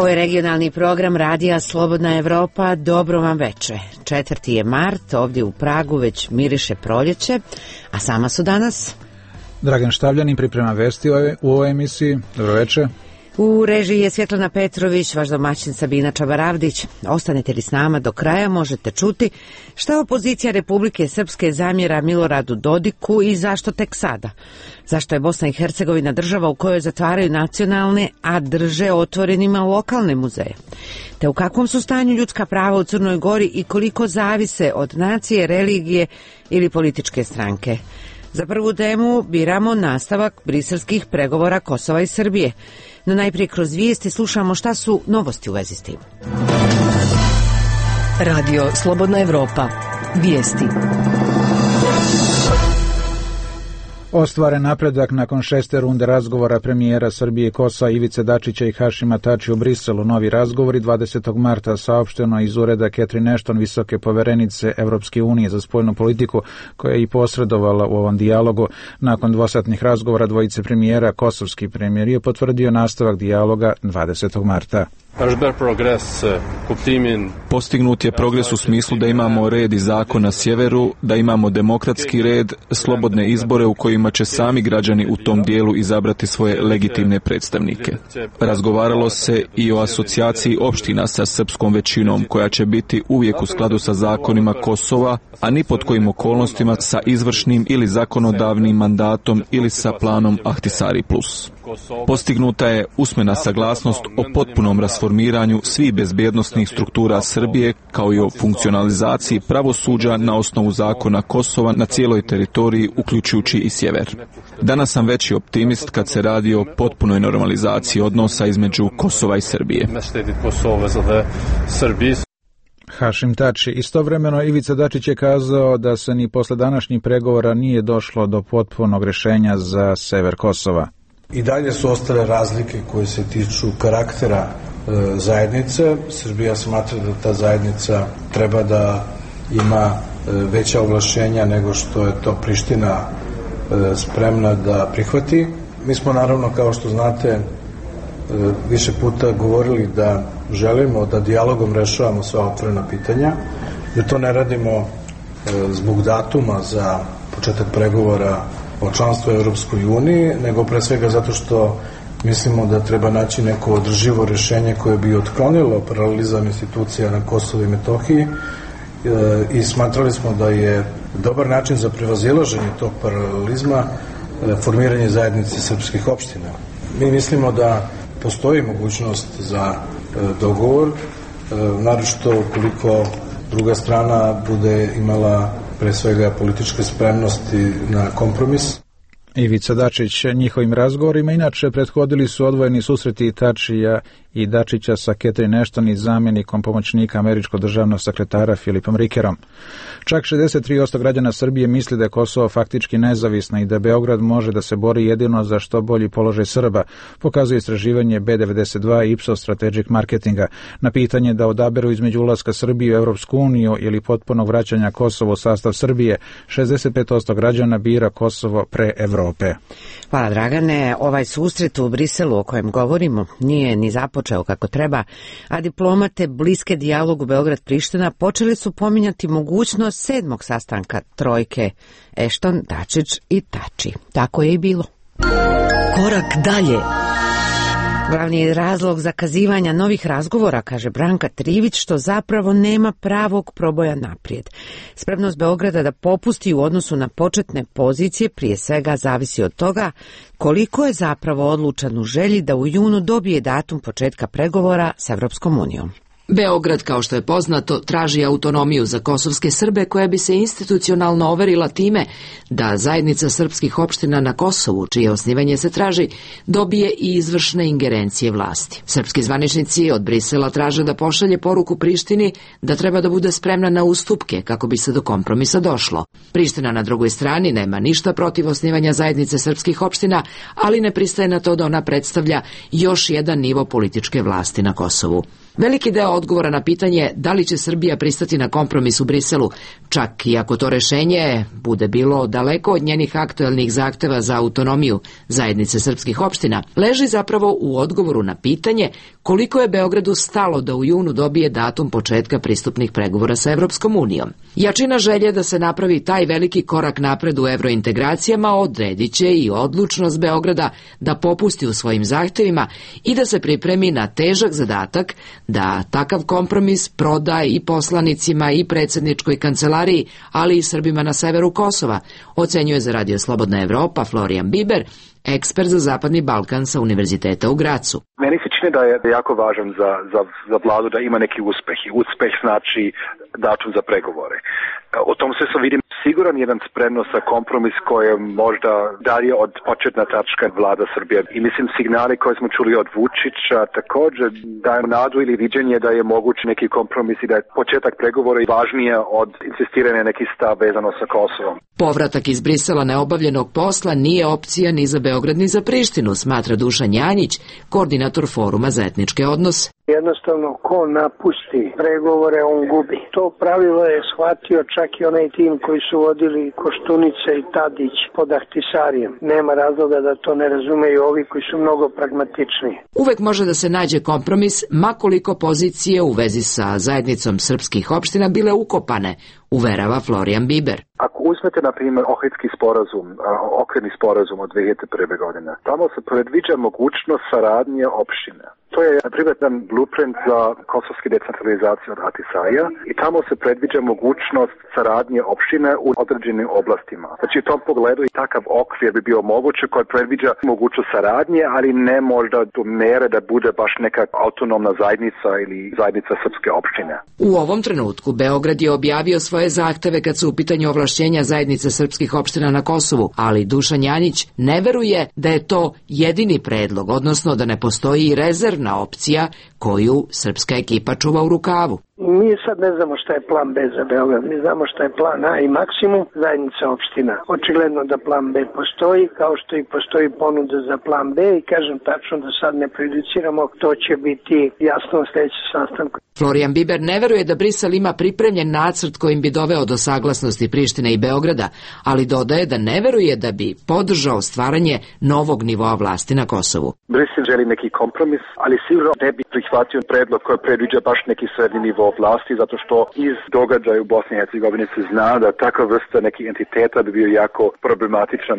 Ovo je regionalni program Radija Slobodna Evropa. Dobro vam veče. 4. je mart, ovdje u Pragu već miriše proljeće, a sama su danas Dragan Štavljanin priprema vesti u ovoj emisiji. Dobro veče. U režiji je Svjetlana Petrović, vaš domaćin Sabina Čabaravdić. Ostanete li s nama do kraja, možete čuti šta opozicija Republike Srpske zamjera Miloradu Dodiku i zašto tek sada. Zašto je Bosna i Hercegovina država u kojoj zatvaraju nacionalne, a drže otvorenima lokalne muzeje. Te u kakvom su stanju ljudska prava u Crnoj Gori i koliko zavise od nacije, religije ili političke stranke. Za prvu temu biramo nastavak briselskih pregovora Kosova i Srbije. No najprije kroz vijesti slušamo šta su novosti u vezi s tim. Radio Slobodna Evropa. Vijesti. Ostvaren napredak nakon 6. runde razgovora premijera Srbije i Kosova Ivice Dačića i Hašima Tačija u Briselu. Novi razgovori 20. marta saopšteno iz ureda Catherine Ashton, visoke poverenice Evropske unije za spoljnu politiku, koja je i posredovala u ovom dijalogu. Nakon dvosatnih razgovora dvojice premijera, kosovski premijer je potvrdio nastavak dijaloga 20. marta. Postignut je progres u smislu da imamo red i zakon na sjeveru, da imamo demokratski red, slobodne izbore u kojima će sami građani u tom dijelu izabrati svoje legitimne predstavnike. Razgovaralo se i o asocijaciji opština sa srpskom većinom, koja će biti uvijek u skladu sa zakonima Kosova, a ni pod kojim okolnostima sa izvršnim ili zakonodavnim mandatom ili sa planom Ahtisari plus. Postignuta je usmena saglasnost o potpunom rasformiranju svih bezbjednosnih struktura Srbije, kao i o funkcionalizaciji pravosuđa na osnovu zakona Kosova na cijeloj teritoriji, uključujući i sjever. Danas sam veći optimist kad se radi o potpunoj normalizaciji odnosa između Kosova i Srbije. Hašim Tači. Istovremeno Ivica Dačić je kazao da se ni posle današnjih pregovora nije došlo do potpunog rješenja za sever Kosova. I dalje su ostale razlike koje se tiču karaktera zajednice. Srbija smatra da ta zajednica treba da ima veća ovlašćenja nego što je to Priština spremna da prihvati. Mi smo naravno, kao što znate, više puta govorili da želimo da dijalogom rešavamo sva otvorena pitanja, da to ne radimo zbog datuma za početak pregovora o članstvu u Europskoj uniji, nego pre svega zato što mislimo da treba naći neko održivo rješenje koje bi otklonilo paralelizam institucija na Kosovu i Metohiji i smatrali smo da je dobar način za prevazilaženje tog paralelizma formiranje zajednice srpskih opština. Mi mislimo da postoji mogućnost za dogovor, naročito ukoliko druga strana bude imala pre svega političke spremnosti na kompromis. Ivica Dačić njihovim razgovorima inače prethodili su odvojeni susreti Tačija i Dačića sa Catherine Ashton i zamjenikom pomoćnika američkog državnog sekretara Filipom Rikerom. Čak 63% građana Srbije misli da je Kosovo faktički nezavisno i da Beograd može da se bori jedino za što bolji položaj Srba, pokazuje istraživanje B92 i Ipsos Strategic Marketinga. Na pitanje da odaberu između ulaska Srbije u Evropsku uniju ili potpunog vraćanja Kosova u sastav Srbije, 65% građana bira Kosovo pre Evrope. Hvala Dragane. Ovaj susret u Briselu o kojem govorimo nije ni započeo kako treba, a diplomate bliske dijalogu Beograd-Priština počeli su pominjati mogućnost 7. sastanka trojke Ashton, Dačić i Tači. Tako je i bilo. Korak dalje. Glavni je razlog zakazivanja novih razgovora, kaže Branka Trivić, što zapravo nema pravog proboja naprijed. Spremnost Beograda da popusti u odnosu na početne pozicije prije svega zavisi od toga koliko je zapravo odlučan u želji da u junu dobije datum početka pregovora s Evropskom unijom. Beograd, kao što je poznato, traži autonomiju za kosovske Srbe koja bi se institucionalno overila time da zajednica srpskih opština na Kosovu, čije osnivanje se traži, dobije i izvršne ingerencije vlasti. Srpski zvaničnici od Brisela traže da pošalje poruku Prištini da treba da bude spremna na ustupke kako bi se do kompromisa došlo. Priština na drugoj strani nema ništa protiv osnivanja zajednice srpskih opština, ali ne pristaje na to da ona predstavlja još jedan nivo političke vlasti na Kosovu. Veliki deo odgovora na pitanje da li će Srbija pristati na kompromis u Briselu, čak i ako to rešenje bude bilo daleko od njenih aktuelnih zahteva za autonomiju zajednice srpskih opština, leži zapravo u odgovoru na pitanje koliko je Beogradu stalo da u junu dobije datum početka pristupnih pregovora sa Evropskom unijom. Jačina želje da se napravi taj veliki korak napred u evrointegracijama odredit će i odlučnost Beograda da popusti u svojim zahtevima i da se pripremi na težak zadatak da takav kompromis proda i poslanicima i predsjedničkoj kancelariji, ali i Srbima na severu Kosova, ocenjuje za Radio Slobodna Evropa Florian Biber, ekspert za Zapadni Balkan sa Univerziteta u Gracu. Meni se čini da je jako važan za vladu da ima neki uspeh i uspeh znači datum za pregovore. U tom smislu vidim siguran jedan spremnost za kompromis koji je možda dalje od početna tačka vlada Srbije. I mislim signali koje smo čuli od Vučića također daju nadu ili viđenje da je moguć neki kompromis i da je početak pregovora važnije od insistiranja nekih stav vezano sa Kosovom. Povratak iz Brisela neobavljenog posla nije opcija ni za Beograd ni za Prištinu, smatra Dušan Janjić, koordinator Foruma za etničke odnose. Jednostavno, ko napusti pregovore, on gubi. To pravilo je shvatio čak i onaj tim koji su vodili Koštunica i Tadić pod Ahtisarijem. Nema razloga da to ne razumeju ovi koji su mnogo pragmatičniji. Uvek može da se nađe kompromis, makoliko pozicije u vezi sa zajednicom srpskih opština bile ukopane, uverava Florian Biber. Ako uzmete, na primjer, Ohridski sporazum, okvirni sporazum od 2001. godine, tamo se predviđa mogućnost saradnje opštine. To je, na primjer, jedan blueprint za kosovski decentralizaciju od Ahtisaja i tamo se predviđa mogućnost saradnje opštine u određenim oblastima. Znači, u tom pogledu i takav okvir bi bio moguće koji predviđa mogućnost saradnje, ali ne možda do mere da bude baš neka autonomna zajednica ili zajednica srpske opštine. U ovom trenutku Beograd je objavio svoje zahteve kad su u pitanju ovlašćenja zajednice srpskih opština na Kosovu, ali Dušan Janjić ne veruje da je to jedini predlog, odnosno da ne postoji i rezervna opcija koju srpska ekipa čuva u rukavu. Mi sad ne znamo šta je plan B za Beograd, mi znamo šta je plan A i maksimum zajednica opština. Očigledno da plan B postoji, kao što i postoji ponuda za plan B i kažem tačno da sad ne prejudiciramo, to će biti jasno u sljedećem sastanku. Florian Biber ne veruje da Brisel ima pripremljen nacrt kojim bi doveo do saglasnosti Prištine i Beograda, ali dodaje da ne veruje da bi podržao stvaranje novog nivoa vlasti na Kosovu. Brisel želi neki kompromis, ali sigurno ne bi prihvatio predlog koji predviđa baš neki srednji nivo vlasti, zato što iz događaja u Bosni i Hercegovini se zna da takva vrsta nekih entiteta bi bio jako problematičan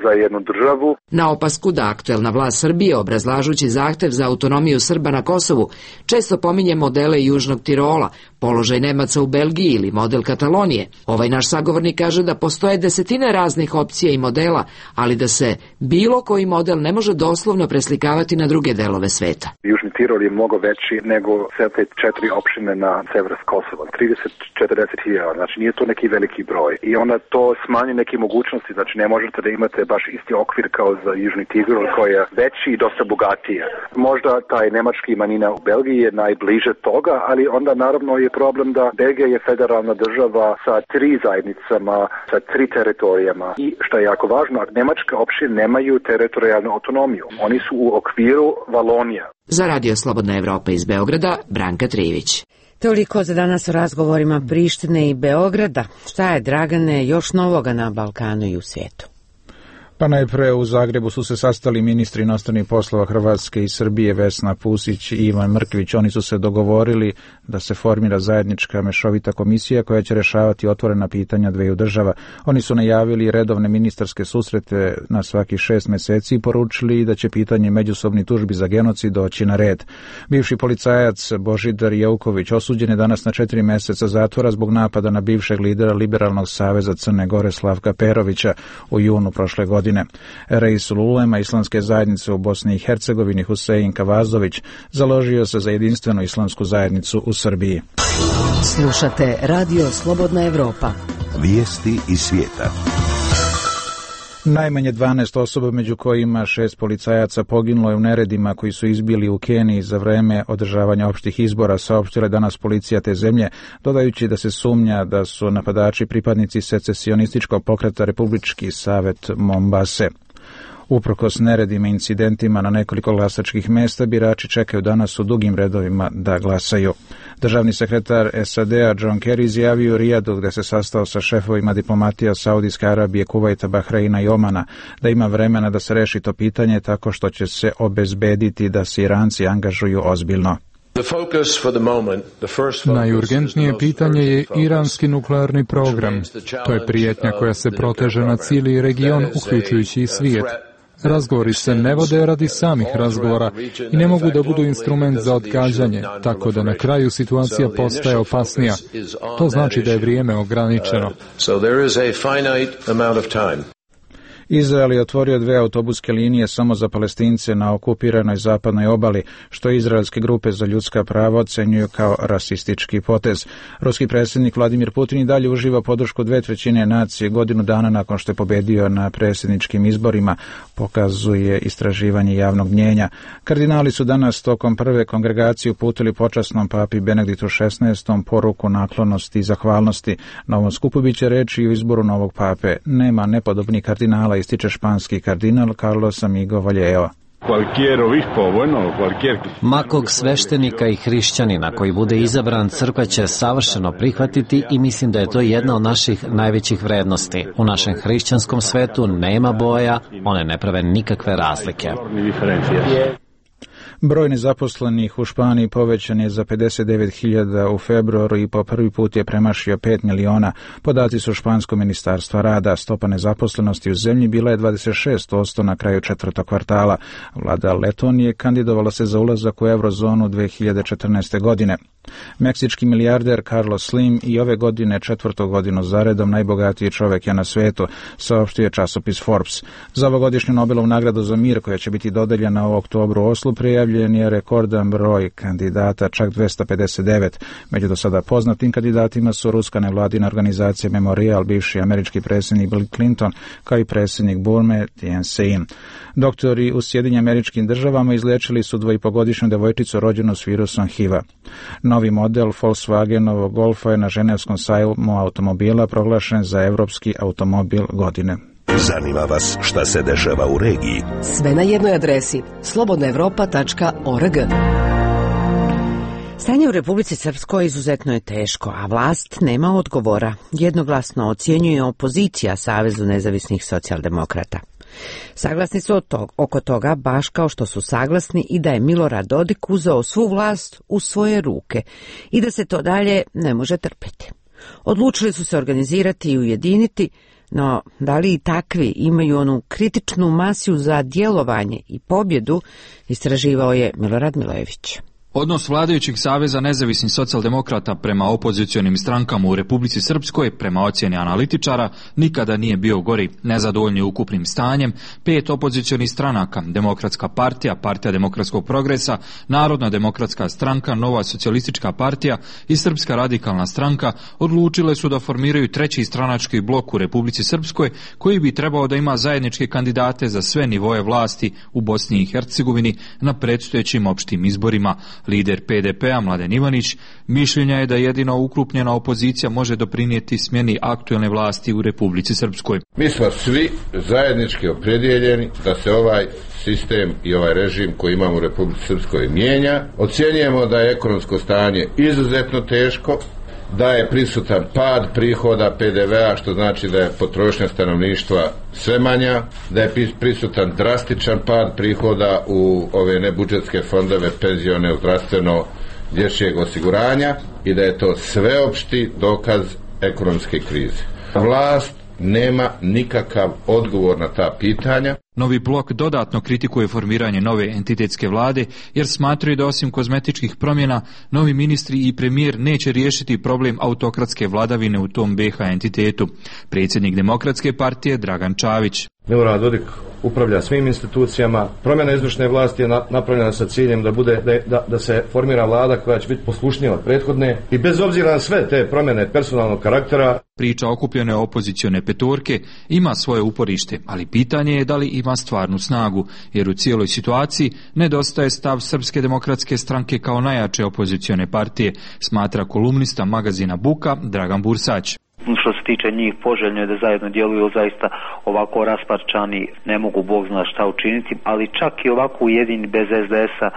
za jednu državu. Na opasku da aktuelna vlast Srbije, obrazlažući zahtev za autonomiju Srba na Kosovu, često pominje modele Južnog Tirola, položaj Nemaca u Belgiji ili model Katalonije. Ovaj naš sagovornik kaže da postoje desetine raznih opcija i modela, ali da se bilo koji model ne može doslovno preslikavati na druge delove sveta. Južni Tirol je mnogo veći nego sve te 4 opštine na severu Kosova, 30-40 hiljada, znači nije to neki veliki broj. I onda to smanji neke mogućnosti, znači ne možete da imate baš isti okvir kao za Južni Tirol koji je veći i dosta bogatiji. Možda taj nemački manjina u Belgiji je najbliže toga, ali onda naravno je problem da Belgija je federalna država sa 3 zajednicama, sa 3 teritorijama i što je jako važno, nemačke opštine nemaju teritorijalnu autonomiju. Oni su u okviru Valonija. Za Radio Slobodna Evropa iz Beograda, Branka Trivić. Toliko za danas o razgovorima Prištine i Beograda. Šta je, Dragane, još novoga na Balkanu i u svijetu? Pa najpre u Zagrebu su se sastali ministri inostranih poslova Hrvatske i Srbije Vesna Pusić i Ivan Mrkvić. Oni su se dogovorili da se formira zajednička mešovita komisija koja će rješavati otvorena pitanja dveju država. Oni su najavili redovne ministarske susrete na svaki 6 mjeseci i poručili da će pitanje međusobnih tužbi za genocid doći na red. Bivši policajac Božidar Jeuković osuđen je danas na 4 mjeseca zatvora zbog napada na bivšeg lidera Liberalnog saveza Crne Gore Slavka Perovića u junu prošle godine. Reisul ulema islamske zajednice u Bosni i Hercegovini Husein Kavazović založio se za jedinstvenu islamsku zajednicu u Srbiji. Slušate Radio Slobodna Evropa. Vijesti iz svijeta. Najmanje 12 osoba, među kojima 6 policajaca, poginulo je u neredima koji su izbili u Keniji za vreme održavanja opštih izbora, saopštila danas policija te zemlje, dodajući da se sumnja da su napadači pripadnici secesionističkog pokreta Republički savet Mombase. Uprkos neredima i incidentima na nekoliko glasačkih mesta, birači čekaju danas u dugim redovima da glasaju. Državni sekretar SAD-a John Kerry izjavio u Rijadu, gde se sastao sa šefovima diplomatija Saudijske Arabije, Kuvajta, Bahreina i Omana, da ima vremena da se reši to pitanje tako što će se obezbediti da se Iranci angažuju ozbiljno. Najurgentnije pitanje je iranski nuklearni program. To je prijetnja koja se proteže na cijeli region, uključujući i svijet. Razgovori se ne vode radi samih razgovora i ne mogu da budu instrument za odgađanje, tako da na kraju situacija postaje opasnija. To znači da je vrijeme ograničeno. Izrael je otvorio 2 autobuske linije samo za Palestince na okupiranoj zapadnoj obali, što izraelske grupe za ljudska prava ocenjuju kao rasistički potez. Ruski predsjednik Vladimir Putin i dalje uživa podršku 2/3 nacije godinu dana nakon što je pobedio na predsjedničkim izborima, pokazuje istraživanje javnog mnjenja. Kardinali su danas tokom prve kongregacije uputili počasnom papi Benediktu XVI poruku naklonosti i zahvalnosti. Na ovom skupu biće reči o izboru novog pape. Nema nepodobnih kardinala, ističe španski kardinal Carlos Amigo Vallejo. Makog sveštenika i hrišćanina koji bude izabran, crkva će savršeno prihvatiti i mislim da je to jedna od naših najvećih vrednosti. U našem hrišćanskom svetu nema boja, one ne prave nikakve razlike. Broj nezaposlenih u Španiji povećan je za 59.000 u februaru i po prvi put je premašio 5 miliona. Podaci su Španskog ministarstva rada. Stopa nezaposlenosti u zemlji bila je 26% na kraju 4. kvartala. Vlada Letonije kandidovala se za ulazak u eurozonu 2014. godine. Meksički milijarder Carlos Slim i ove godine 4. godinu zaredom najbogatiji čovjek je na svetu, saopštio je časopis Forbes. Za ovogodišnju Nobelovu nagradu za mir, koja će biti dodeljena u oktobru u Oslu, prijavljen je rekordan broj kandidata, čak 259. Među do sada poznatim kandidatima su ruska nevladina organizacija Memorial, bivši američki predsjednik Bill Clinton, kao i predsjednik Burme Thein Sein. Doktori u Sjedinjenim Američkim Državama izliječili su 2,5-godišnju devojčicu rođenu s virusom HIV-a. Novi model Volkswagenovog Golfa je na Ženevskom sajmu automobila proglašen za evropski automobil godine. Zanima vas šta se dešava u regiji? Sve na jednoj adresi slobodnaevropa.org. Stanje u Republici Srpskoj izuzetno je teško, a vlast nema odgovora. Jednoglasno ocjenjuje opozicija Savezu nezavisnih socijaldemokrata. Saglasni su oko toga, baš kao što su saglasni i da je Milorad Dodik uzeo svu vlast u svoje ruke i da se to dalje ne može trpiti. Odlučili su se organizirati i ujediniti, no da li i takvi imaju onu kritičnu masu za djelovanje i pobjedu, istraživao je Milorad Milojević. Odnos vladajućih Saveza nezavisnih socijaldemokrata prema opozicionim strankama u Republici Srpskoj, prema ocjeni analitičara, nikada nije bio gori. Nezadovoljni ukupnim stanjem, 5 opozicionih stranaka, Demokratska partija, Partija demokratskog progresa, Narodna demokratska stranka, Nova socijalistička partija i Srpska radikalna stranka odlučile su da formiraju treći stranački blok u Republici Srpskoj, koji bi trebao da ima zajedničke kandidate za sve nivoje vlasti u Bosni i Hercegovini na predstojećim opštim izborima. Lider PDP-a Mladen Ivanić mišljenja je da jedino ukrupnjena opozicija može doprinijeti smjeni aktuelne vlasti u Republici Srpskoj. Mi smo svi zajednički opredjeljeni da se ovaj sistem i ovaj režim koji imamo u Republici Srpskoj mijenja. Ocjenjujemo da je ekonomsko stanje izuzetno teško, da je prisutan pad prihoda PDV-a, što znači da je potrošnja stanovništva sve manja, da je prisutan drastičan pad prihoda u ove nebudžetske fondove, penzione, zdravstveno, dječjeg osiguranja i da je to sveopšti dokaz ekonomske krize. Vlast nema nikakav odgovor na ta pitanja. Novi blok dodatno kritikuje formiranje nove entitetske vlade jer smatraju da osim kozmetičkih promjena novi ministri i premijer neće riješiti problem autokratske vladavine u tom BiH entitetu. Predsjednik Demokratske partije Dragan Čavić. Milorad Dodik upravlja svim institucijama. Promjena izvršne vlasti je napravljena sa ciljem da se formira vlada koja će biti poslušnija od prethodne i bez obzira na sve te promjene personalnog karaktera. Priča okupljene opozicione petorke ima svoje uporište, ali pitanje je da li ima stvarnu snagu, jer u cijeloj situaciji nedostaje stav Srpske demokratske stranke kao najjače opozicione partije, smatra kolumnista magazina Buka Dragan Bursać. Što se tiče njih, poželjno je da zajedno djeluju, zaista ovako rasparčani ne mogu Bog zna šta učiniti, ali čak i ovako ujedini bez SDS-a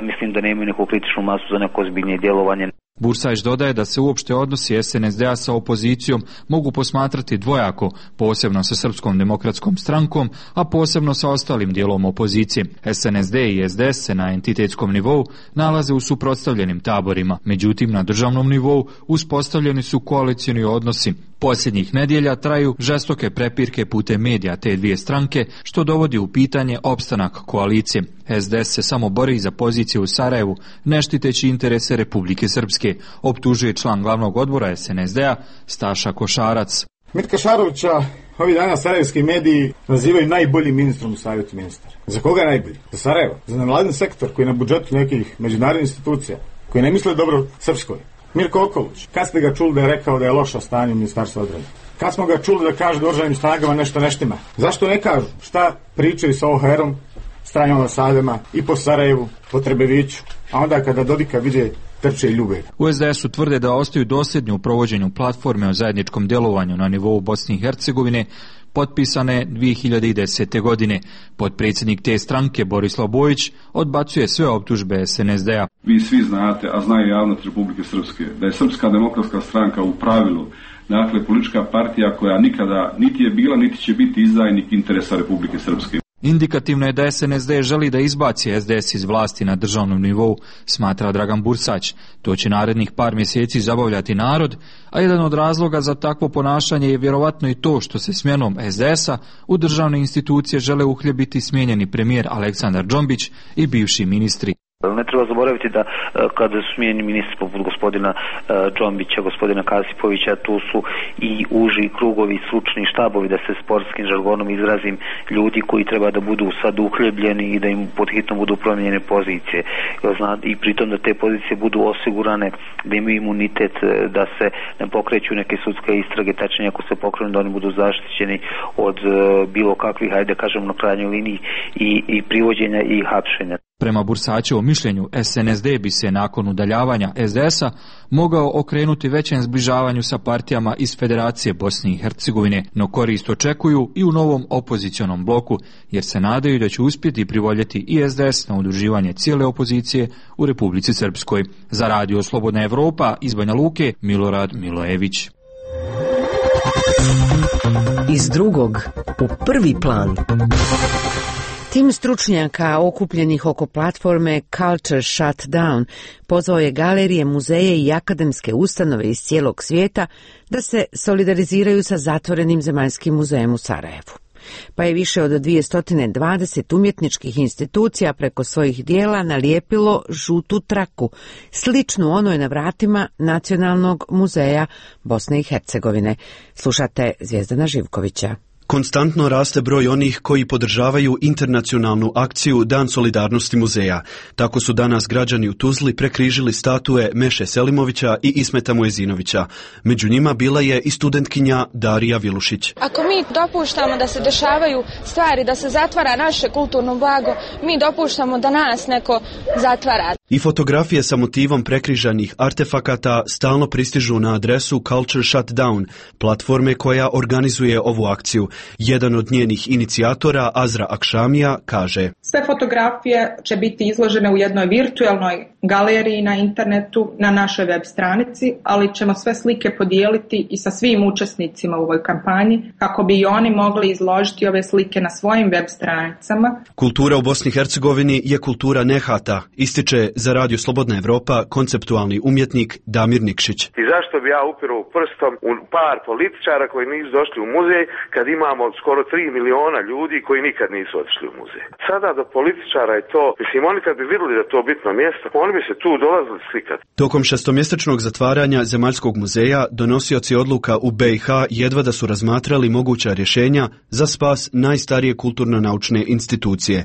mislim da nemaju neku kritičnu masu za neko ozbiljnije djelovanje. Bursajć dodaje da se uopšte odnosi SNSD-a sa opozicijom mogu posmatrati dvojako, posebno sa Srpskom demokratskom strankom, a posebno sa ostalim dijelom opozicije. SNSD i SDS se na entitetskom nivou nalaze u suprotstavljenim taborima, međutim na državnom nivou uspostavljeni su koalicioni odnosi. Posljednjih nedjelja traju žestoke prepirke putem medija te dvije stranke, što dovodi u pitanje opstanak koalicije. SDS se samo bori za pozicije u Sarajevu, ne štiteći interese Republike Srpske, optužuje član glavnog odbora SNSD-a Staša Košarac. Mitka Šarovića ovi dana sarajevski mediji nazivaju najboljim ministrom u savjetu ministara. Za koga najbolji? Za Sarajevo? Za nevladin sektor koji je na budžetu nekih međunarodnih institucija, koji ne misle dobro Srpskoj. Mirko Okolić, kad ste ga čuli da je rekao da je loša stanje u Ministarstvu odbrane? Kad smo ga čuli da kaže da u oružanim snagama nešto ne štima? Zašto ne kažu šta pričaju sa OHR-om, stranim ambasadama i po Sarajevu, po Trebeviću, a onda kada Dodika vide trče i ljube? U SDS-u tvrde da ostaju dosljedni u provođenju platforme o zajedničkom djelovanju na nivou Bosne i Hercegovine, potpisane 2010. godine. Potpredsjednik te stranke Borislav Bojić odbacuje sve optužbe SNSD-a. Vi svi znate, a znaju javnost Republike Srpske, da je Srpska demokratska stranka u pravilu, dakle, politička partija koja nikada niti je bila, niti će biti izdajnik interesa Republike Srpske. Indikativno je da SNSD želi da izbaci SDS iz vlasti na državnom nivou, smatra Dragan Bursać. To će narednih par mjeseci zabavljati narod, a jedan od razloga za takvo ponašanje je vjerovatno i to što se smjenom SDS-a u državne institucije žele uhljebiti smijenjeni premijer Aleksandar Džombić i bivši ministri. Ne treba zaboraviti da kada su smijenjeni ministri poput gospodina Džombića, gospodina Kasipovića, tu su i uži krugovi, stručni štabovi, da se sportskim žargonom izrazim, ljudi koji treba da budu sad uhljebljeni i da im pod hitno budu promijenjene pozicije. I pritom da te pozicije budu osigurane, da imaju imunitet, da se ne pokreću neke sudske istrage, tačnije ako se pokrenu da oni budu zaštićeni od bilo kakvih, hajde kažem na krajnjoj liniji, i privođenja i hapšenja. Prema Bursačevom mišljenju, SNSD bi se nakon udaljavanja SDS-a mogao okrenuti većem zbližavanju sa partijama iz Federacije Bosne i Hercegovine, no korist očekuju i u novom opozicionom bloku, jer se nadaju da će uspjeti privoljeti i SDS na udruživanje cijele opozicije u Republici Srpskoj. Za Radio Slobodna Evropa iz Banja Luke, Milorad Milojević. Iz drugog u prvi plan. Tim stručnjaka okupljenih oko platforme Culture Shutdown pozvao je galerije, muzeje i akademske ustanove iz cijelog svijeta da se solidariziraju sa zatvorenim zemaljskim muzejem u Sarajevu. Pa je više od 220 umjetničkih institucija preko svojih dijela nalijepilo žutu traku, sličnu onoj na vratima Nacionalnog muzeja Bosne i Hercegovine. Slušate Zvijezdana Živkovića. Konstantno raste broj onih koji podržavaju internacionalnu akciju Dan solidarnosti muzeja. Tako su danas građani u Tuzli prekrižili statue Meše Selimovića i Ismeta Muezinovića. Među njima bila je i studentkinja Darija Vilušić. Ako mi dopuštamo da se dešavaju stvari, da se zatvara naše kulturno blago, mi dopuštamo da nas neko zatvara. I fotografije sa motivom prekrižanih artefakata stalno pristižu na adresu Culture Shutdown, platforme koja organizuje ovu akciju. Jedan od njenih inicijatora, Azra Akšamija, kaže: sve fotografije će biti izložene u jednoj virtualnoj galeriji na internetu na našoj web stranici, ali ćemo sve slike podijeliti i sa svim učesnicima u ovoj kampanji kako bi i oni mogli izložiti ove slike na svojim web stranicama. Kultura u Bosni i Hercegovini je kultura nehata, ističe za Radio Slobodna Evropa konceptualni umjetnik Damir Nikšić. I zašto bi ja upirao prstom u par političara koji nisu došli u muzej kad imamo skoro 3 miliona ljudi koji nikad nisu otišli u muzej? Sada do političara je to, mislim, oni kad bi vidjeli da to bitno mjesto, oni bi se tu dolazili slikati. Tokom šestomjesečnog zatvaranja Zemaljskog muzeja donosioci odluka u BiH jedva da su razmatrali moguća rješenja za spas najstarije kulturno-naučne institucije.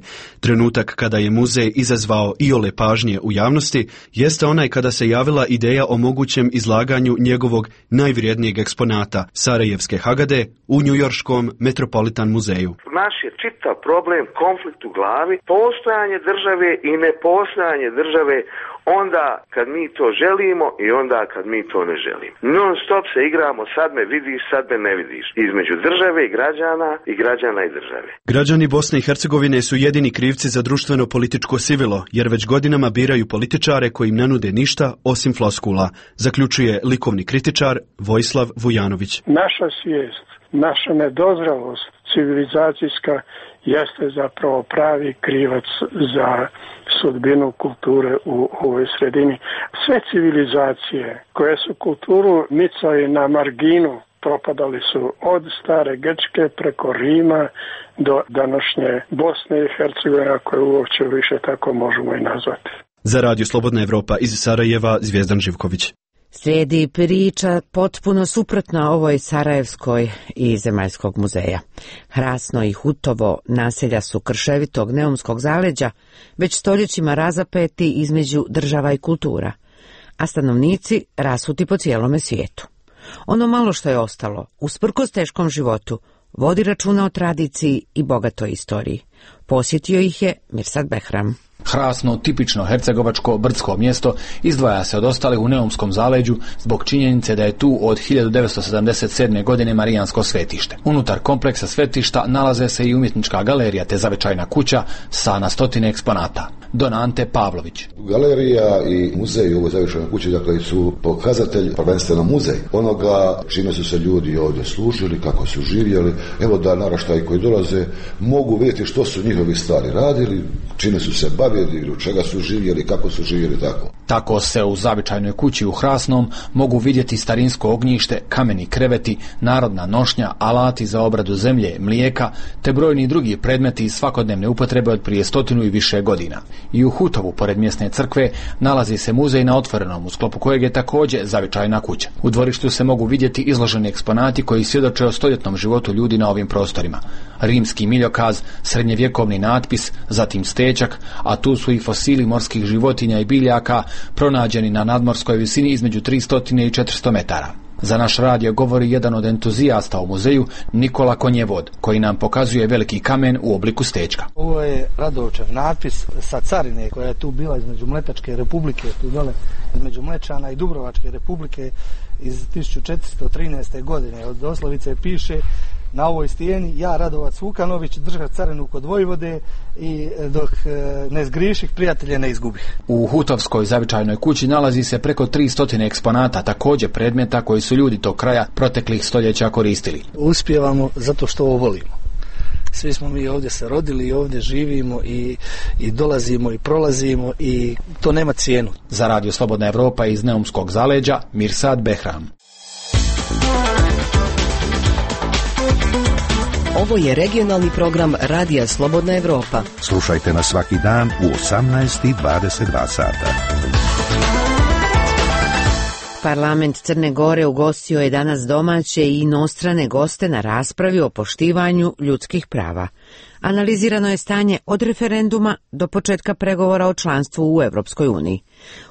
Trenutak kada je muzej izazvao iole pažnje u javnosti jeste onaj kada se javila ideja o mogućem izlaganju njegovog najvrijednijeg eksponata, Sarajevske Hagade, u njujorškom Metropolitan muzeju. Naš je čitav problem, konflikt u glavi, postojanje države i nepostojanje države onda kad mi to želimo i onda kad mi to ne želimo. Non stop se igramo sad me vidiš, sad me ne vidiš. Između države i građana i države. Građani Bosne i Hercegovine su jedini krivci za društveno političko sivilo, jer već godinama biraju političare koji im ne nude ništa osim floskula, zaključuje likovni kritičar Vojislav Vujanović. Naša svijest, naša nedozralost civilizacijska jeste zapravo pravi krivac za sudbinu kulture u ovoj sredini. Sve civilizacije koje su kulturu micali na marginu propadali su od stare Grčke preko Rima do današnje Bosne i Hercegovine, koje uopće više tako možemo i nazvati. Za Radio Slobodna Evropa iz Sarajeva, Zvijezdan Živković. Slijedi priča potpuno suprotna ovoj sarajevskoj i Zemaljskog muzeja. Hrasno i Hutovo naselja su krševitog neumskog zaleđa, već stoljećima razapeti između država i kultura, a stanovnici rasuti po cijelome svijetu. Ono malo što je ostalo, usprkos teškom životu, vodi računa o tradiciji i bogatoj istoriji. Posjetio ih je Mirsad Behram. Hrasno, tipično hercegovačko brdsko mjesto, izdvaja se od ostalih u neumskom zaleđu zbog činjenice da je tu od 1977. godine marijansko svetište. Unutar kompleksa svetišta nalaze se i umjetnička galerija te zavičajna kuća sa na stotine eksponata. Don Ante Pavlović. Galerija i muzej u ovoj zavičajnoj kući dakle su pokazatelj, prvenstveno muzej onoga čime su se ljudi ovdje služili, kako su živjeli. Evo da naraštaji koji dolaze mogu vidjeti što su njihovi stari radili, čime su se bavili, u čega su živjeli, kako su živjeli tako. Tako se u zavičajnoj kući u Hrasnom mogu vidjeti starinsko ognjište, kameni kreveti, narodna nošnja, alati za obradu zemlje, mlijeka, te brojni drugi predmeti iz svakodnevne upotrebe od prije 100 i više godina. I u Hutovu, pored mjesne crkve, nalazi se muzej na otvorenom, u sklopu kojeg je također zavičajna kuća. U dvorištu se mogu vidjeti izloženi eksponati koji svjedoče o stoljetnom životu ljudi na ovim prostorima. Rimski miljokaz, srednjevjekovni natpis, zatim stečak, a tu su i fosili morskih životinja i biljaka pronađeni na nadmorskoj visini između 300 i 400 metara. Za naš radio govori jedan od entuzijasta u muzeju, Nikola Konjevod, koji nam pokazuje veliki kamen u obliku stečka. Ovo je Radovčev natpis sa carine koja je tu bila između Mletačke republike, tu dole između Mlečana i Dubrovačke republike iz 1413. godine. Od oslovice piše na ovoj stijeni: ja, Radovac Vukanović, držat carinu kod Vojvode i dok ne zgriših, prijatelje ne izgubih. U Hutovskoj zavičajnoj kući nalazi se preko 300 eksponata, također predmeta koji su ljudi tog kraja proteklih stoljeća koristili. Uspijevamo zato što ovo volimo. Svi smo mi ovdje se rodili i ovdje živimo i dolazimo i prolazimo i to nema cijenu. Za Radio Slobodna Evropa iz neumskog zaleđa, Mirsad Behram. Ovo je regionalni program Radija Slobodna Evropa. Slušajte nas svaki dan u 18:22 sata. Parlament Crne Gore ugostio je danas domaće i inostrane goste na raspravi o poštivanju ljudskih prava. Analizirano je stanje od referenduma do početka pregovora o članstvu u Europskoj uniji.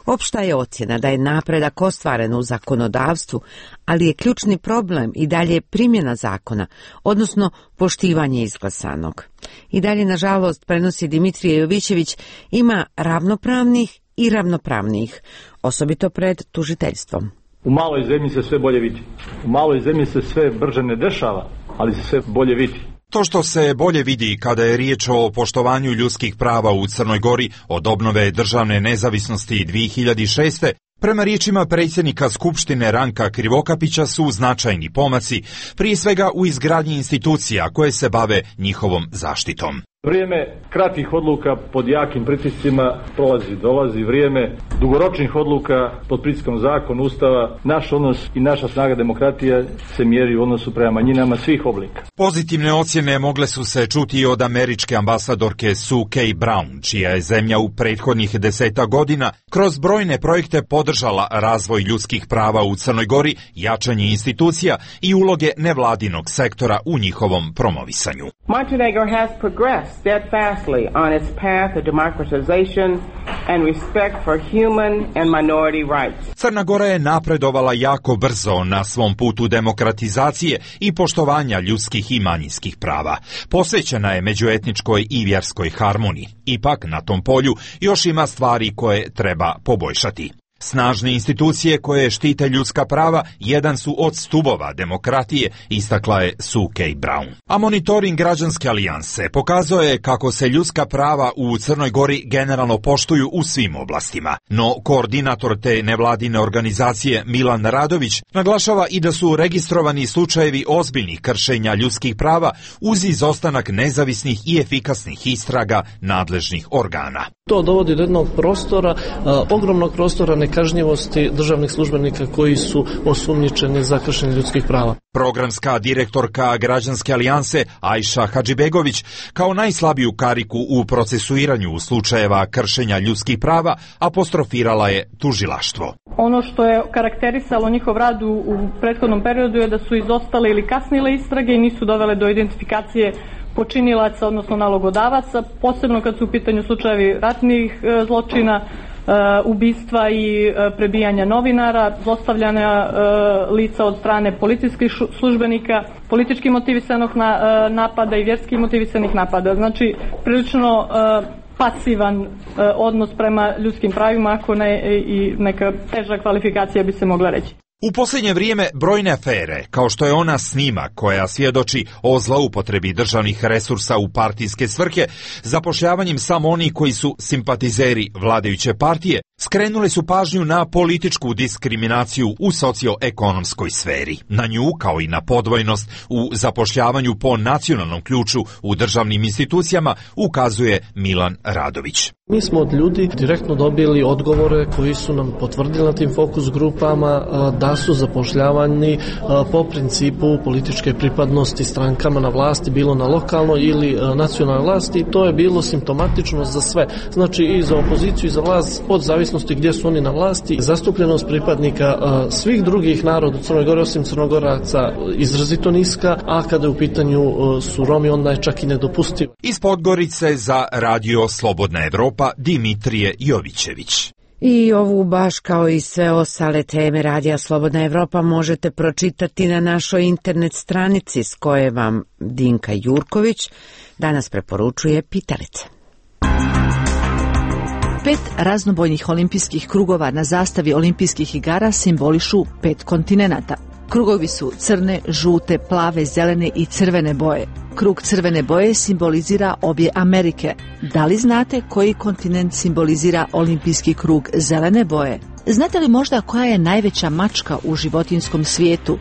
Opšta je ocjena da je napredak ostvaren u zakonodavstvu, ali je ključni problem i dalje primjena zakona, odnosno poštivanje izglasanog. I dalje, nažalost, prenosi Dimitrije Jovićević, ima ravnopravnih i ravnopravnijih, osobito pred tužiteljstvom. U maloj zemlji se sve bolje vidi. U maloj zemlji se sve brže ne dešava, ali se sve bolje vidi. To što se bolje vidi kada je riječ o poštovanju ljudskih prava u Crnoj Gori od obnove državne nezavisnosti 2006. prema riječima predsjednika Skupštine Ranka Krivokapića su značajni pomaci, prije svega u izgradnji institucija koje se bave njihovom zaštitom. Vrijeme kratkih odluka pod jakim pritiscima dolazi vrijeme dugoročnih odluka pod pritiskom zakona, ustava. Naš odnos i naša snaga demokratije se mjeri u odnosu prema manjinama svih oblika. Pozitivne ocjene mogle su se čuti i od američke ambasadorke Sue K. Brown, čija je zemlja u prethodnih 10 godina kroz brojne projekte podržala razvoj ljudskih prava u Crnoj Gori, jačanje institucija i uloge nevladinog sektora u njihovom promovisanju. Montenegro has progressed steadfastly on its path of democratization and respect for human and minority rights. Crna Gora je napredovala jako brzo na svom putu demokratizacije i poštovanja ljudskih i manjinskih prava. Posvećena je međuetničkoj i vjerskoj harmoniji. Ipak, na tom polju još ima stvari koje treba poboljšati. Snažne institucije koje štite ljudska prava jedan su od stubova demokratije, istakla je Sue K. Brown. A monitoring Građanske alijanse pokazao je kako se ljudska prava u Crnoj Gori generalno poštuju u svim oblastima. No, koordinator te nevladine organizacije Milan Radović naglašava i da su registrovani slučajevi ozbiljnih kršenja ljudskih prava uz izostanak nezavisnih i efikasnih istraga nadležnih organa. To dovodi do jednog prostora, ogromnog prostora nekažnjivosti državnih službenika koji su osumnjičeni za kršenje ljudskih prava. Programska direktorka Građanske alijanse Ajša Hadžibegović kao najslabiju kariku u procesuiranju slučajeva kršenja ljudskih prava apostrofirala je tužilaštvo. Ono što je karakterisalo njihov rad u prethodnom periodu je da su izostale ili kasnile istrage i nisu dovele do identifikacije počinilaca, odnosno nalogodavaca, posebno kad su u pitanju slučajevi ratnih zločina, ubistva i prebijanja novinara, zlostavljanja lica od strane policijskih službenika, politički motivisanog napada i vjerski motivisanih napada. Znači, prilično pasivan odnos prema ljudskim pravima, ako ne i neka teža kvalifikacija bi se mogla reći. U posljednje vrijeme brojne afere, kao što je ona snima koja svjedoči o zloupotrebi državnih resursa u partijske svrhe, zapošljavanjem samo onih koji su simpatizeri vladajuće partije, skrenule su pažnju na političku diskriminaciju u socioekonomskoj sferi. Na nju, kao i na podvojnost u zapošljavanju po nacionalnom ključu u državnim institucijama, ukazuje Milan Radović. Mi smo od ljudi direktno dobili odgovore koji su nam potvrdili na tim fokus grupama da su zapošljavani po principu političke pripadnosti strankama na vlasti, bilo na lokalnoj ili nacionalnoj vlasti, i to je bilo simptomatično za sve. Znači i za opoziciju i za vlast, od zavisnosti gdje su oni na vlasti. Zastupljenost pripadnika svih drugih naroda u Crnoj Gori osim Crnogoraca izrazito niska, a kada je u pitanju su Romi, onda je čak i nedopustivo. Iz Podgorice za Radio Slobodna Evropa Dimitrije Jovićević. I ovu baš kao i sve ostale teme Radija Slobodna Evropa možete pročitati na našoj internet stranici s koje vam Dinka Jurković danas preporučuje pitalice. 5 raznobojnih olimpijskih krugova na zastavi olimpijskih igara simbolišu 5 kontinenata. Krugovi su crne, žute, plave, zelene i crvene boje. Krug crvene boje simbolizira obje Amerike. Da li znate koji kontinent simbolizira olimpijski krug zelene boje? Znate li možda koja je najveća mačka u životinjskom svijetu?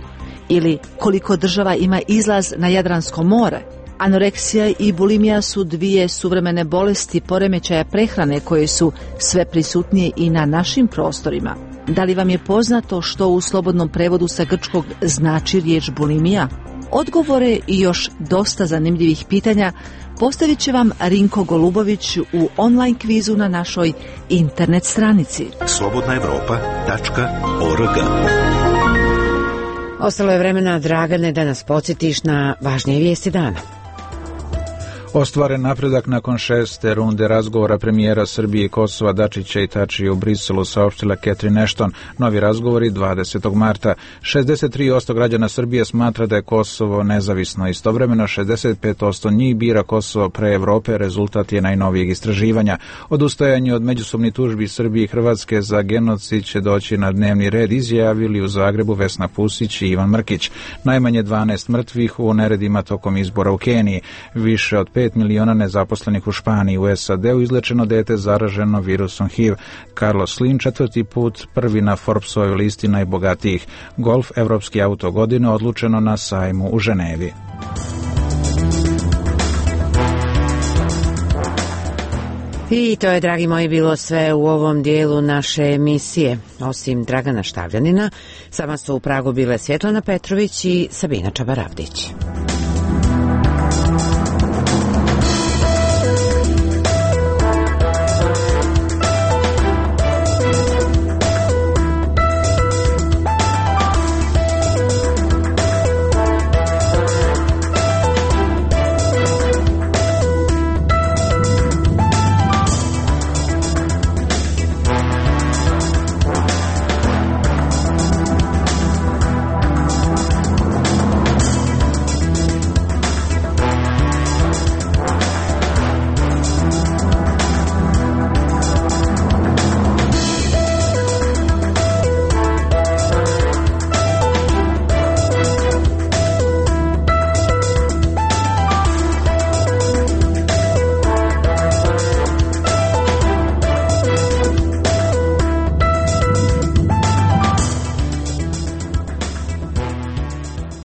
Ili koliko država ima izlaz na Jadransko more? Anoreksija i bulimija su dvije suvremene bolesti poremećaja prehrane koje su sve prisutnije i na našim prostorima. Da li vam je poznato što u slobodnom prevodu sa grčkog znači riječ bulimija? Odgovore i još dosta zanimljivih pitanja postavit će vam Rinko Golubović u online kvizu na našoj internet stranici. slobodnaevropa.org. Ostalo je vremena, Dragane, da nas podsjetiš na važnije vijesti dana. Ostvaren napredak nakon 6. runde razgovora premijera Srbije i Kosova Dačića i Tačija u Briselu, saopštila Catherine Ashton. Novi razgovori 20. marta. 63% građana Srbije smatra da je Kosovo nezavisno. Istovremeno 65% njih bira Kosovo pre Evrope, rezultat je najnovijeg istraživanja. Odustajanje od međusobnih tužbi Srbije i Hrvatske za genocid će doći na dnevni red, izjavili u Zagrebu Vesna Pusić i Ivan Mrkić. Najmanje 12 mrtvih u neredima tokom izbora u Keniji. Više od 5 miliona nezaposlenih u Španiji. U SAD-u izlečeno dete zaraženo virusom HIV. Carlos Slim 4. put prvi na Forbesovoj listi najbogatijih. Golf Evropski auto godine odlučeno na sajmu u Ženevi. I to je, dragi moji, bilo sve u ovom dijelu naše emisije. Osim Dragana Štavljanina, sama su u Pragu bile Svjetlana Petrović i Sabina Čabaravdić.